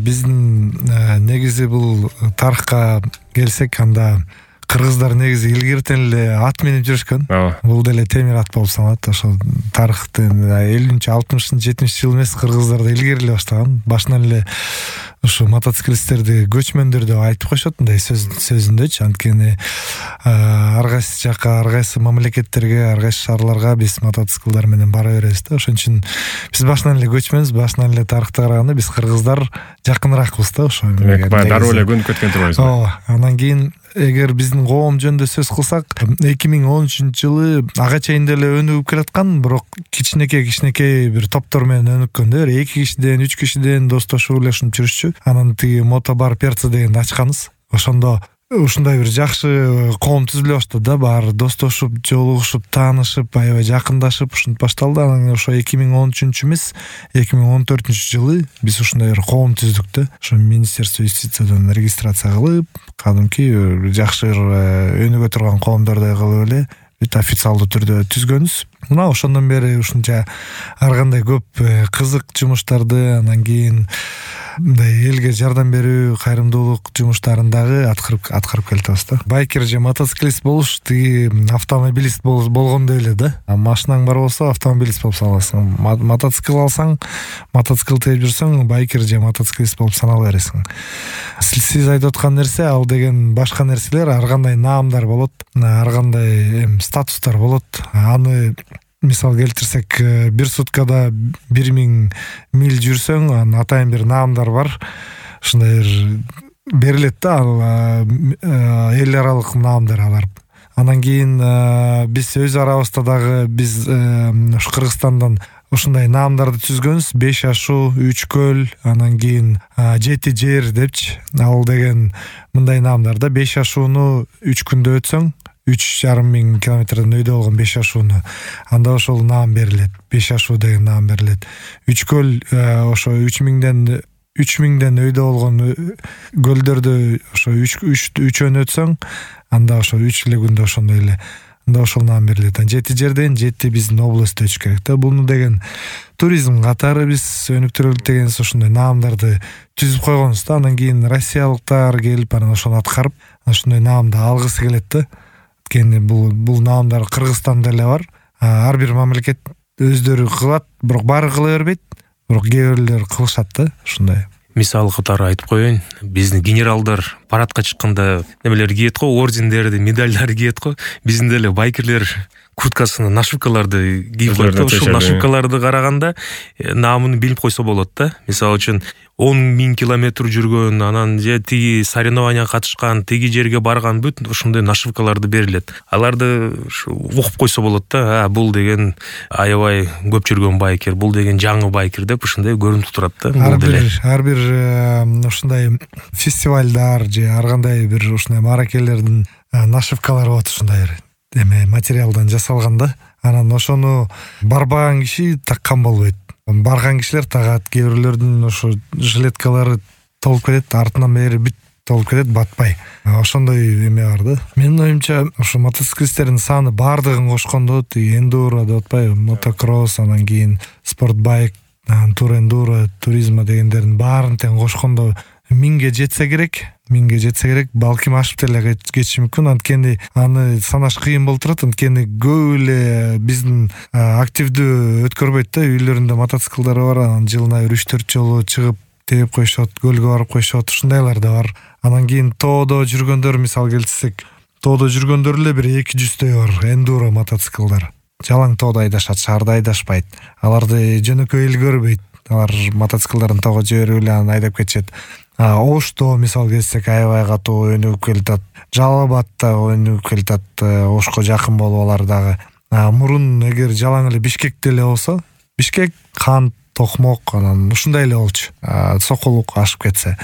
биздин негизи бул тарыхка келсек, анда кыргыздар негизи илгертен эле ат минип жүрүшкөн. Бул деле темир ат болуп саналат. Ошо тарыхтын 50-60-70 эмес, кыргыздар да илгери эле баштаган. Башынан эле ушу мотоциклисттерди көчмөндөр деп айтып коюшат, мындай сөзүндөчү. Анткени ар кайсы жакка, ар кайсы мамлекеттерге, ар кайсы шаарларга биз мотоциклдар менен бара беребиз да. Ошон үчүн биз башынан эле көчмөнбүз, башынан эле тарыхта караганда биз кыргыздар жакыныракпыз да. Ошо дароо эле көнүп кеткен турбайбызбы? Ооба. Анан кийин эгер биздин коом жөнүндө сөз кылсак, 2013-жылы ага чейин деле өнүгүп келаткан, бирок кичинекей бир топтор менен өнүккөн да. 2 кишиден, 3 кишиден достошуп эле ушинтип жүрүшчү. Анан тиги мотобар Перца дегенди ачканбыз. Ошондо ушундай бир жакшы коом түзүлө баштады да. Баары достошуп, жолугушуп, таанышып, аябай жакындашып ушинтип башталды. Анан ошо 2013 эмес, 2014-жылы биз ушундай бир коом түздүк да. Ошо Министерство юстициядан регистрация кылып, кадимки жакшы өнүгө турган коомдордой кылып эле бүт официалдуу түрдө түзгөнбүз. Мына ошондон бери ушунча ар кандай көп кызык жумуштарды, анан кийин мындай элге жардам берүү, кайрымдуулук жумуштарын дагы аткарып келатабыз да. Байкер же мотоциклист болуш тиги автомобилист болгондой эле да. Машинаң бар болсо автомобилист болуп саналасың. Мотоцикл алсаң, мотоцикл тээп жүрсөң, байкер же мотоциклист болуп санала бересиң. Сиз айтып аткан нерсе, ал деген башка нерселер, ар кандай наамдар болот, ар кандай статустар болот. Аны мисал келтирсек, бир суткада 1000 миль жүрсөң, анын атайын бир наамдар бар. Ушундай бир берилет да, эл аралык наамдар алар. Анан кийин биз өз арабызда дагы биз ушу Кыргызстандан ушундай наамдарды түзгөнбүз. 5 ашуу, 3 көл, анан кийин 7 жер депчи. Ал деген мындай наамдарда 5 ашууну 3 күндө өтсөң, 3,5 километрден өйдө болгон 5 ашууну, анда ошол наам берилет. 5 ашуу деген наам берилет. 3 көл ошо 3000ден өйдө болгон көлдөрдү ошо 3 өтсөң, анда ошо 3 эле күндө ошондой эле, анда ошол наам берилет. 7 жерден 7 биздин областта өтүш керек да. Буну деген туризм катары биз өнүктүрөлүк деген ошондой наамдарды түзүп койгонбуз да. Анан кийин россиялыктар келип, анан ошону аткарып, ошондой наамды алгысы келет да. Бул наамдар Кыргызстанда эле бар. Ар бир мамлекет өздөрү кылат, бирок баары кыла бербейт, бирок кээ бирлер кылышат да, ушундай. Мисал катары айтып коеюн, биздин генералдар парадка чыкканда немелер кийет го, ордендерди, медальдарды кийет го. Биздин деле байкерлер курткасына нашивкаларды кийип коет да. Ушул нашивкаларды караганда наамын билип койсо болот да. Мисалы үчүн 10,000 километр жүргөн, анан же тиги соревнованияга катышкан, тиги жерге барган, бүт ушундай нашивкаларды берилет. Аларды угуп койсо болот да. Бул деген аябай көп жүргөн байкер, бул деген жаңы байкер деп ушундай көрүнүп турат да. Ар бир ушундай фестивалдар же ар кандай бир ушундай мааракелердин нашивкалары болот, ушундай бир материалдан жасалган да. Анан ошону барбаган киши таккан болбойт. Барган кишилер тагат, кээ бирлердин ошо жилеткалары толуп кетет, артынан бери бүт толуп кетет, батпай. Ошондой эме бар да. Менин оюмча, ошо мотоциклисттердин саны баардыгын кошкондо, эндуро деп атпайбы, мотокросс, анан кийин спортбайк, тур эндуро, туризма дегендердин баарын тең кошкондо 1000ге жетсе керек, балким ашып деле кетиши мүмкүн. Анткени аны санаш кыйын болуп турат. Анткени көп эле биздин активдүү өткөрбөйт да. Үйлөрүндө мотоциклдары бар, анан жылына 3-4 жолу чыгып тээп коюшат, көлгө барып коюшат, ушундайлар да бар. Анан кийин тоодо жүргөндөр, мисал келтирсек, тоодо жүргөндөр эле бир 200-дөй бар эндуро мотоциклдар. Жалаң тоодо айдашат, шаарда айдашпайт. Аларды жөнөкөй эл көрбөйт. Алар мотоциклдарын тоого жиберип эле анан айдап кетишет. Ошто мисал келсек, аябай катуу өнүгүп келатат. Жалал Абадта өнүгүп келатат, Ошко жакын болуп алар дагы. Мурун эгер жалаң эле Бишкекте эле болсо, Бишкек, Кант, Токмок, анан ушундай эле болчу. Сокулук ашып кетсе,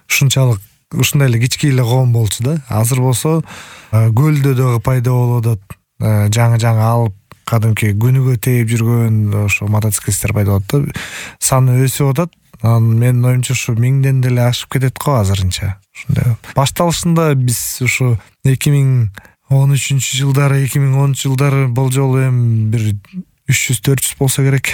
ушунчалык ушундай эле кички эле коом болчу да. Азыр болсо көлдө дагы пайда болуп атат. Жаңы алып кадимки күнүгө тээп жүргөн ошо мотоциклисттер пайда болот да. Саны өсүп атат. Менин оюмча ушу 1000ден деле ашып кетет го азырынча. Ушундай. Башталышында биз ушу 2013-жылдары, 2010 жылдары болжол эми бир 300-400 болсо керек.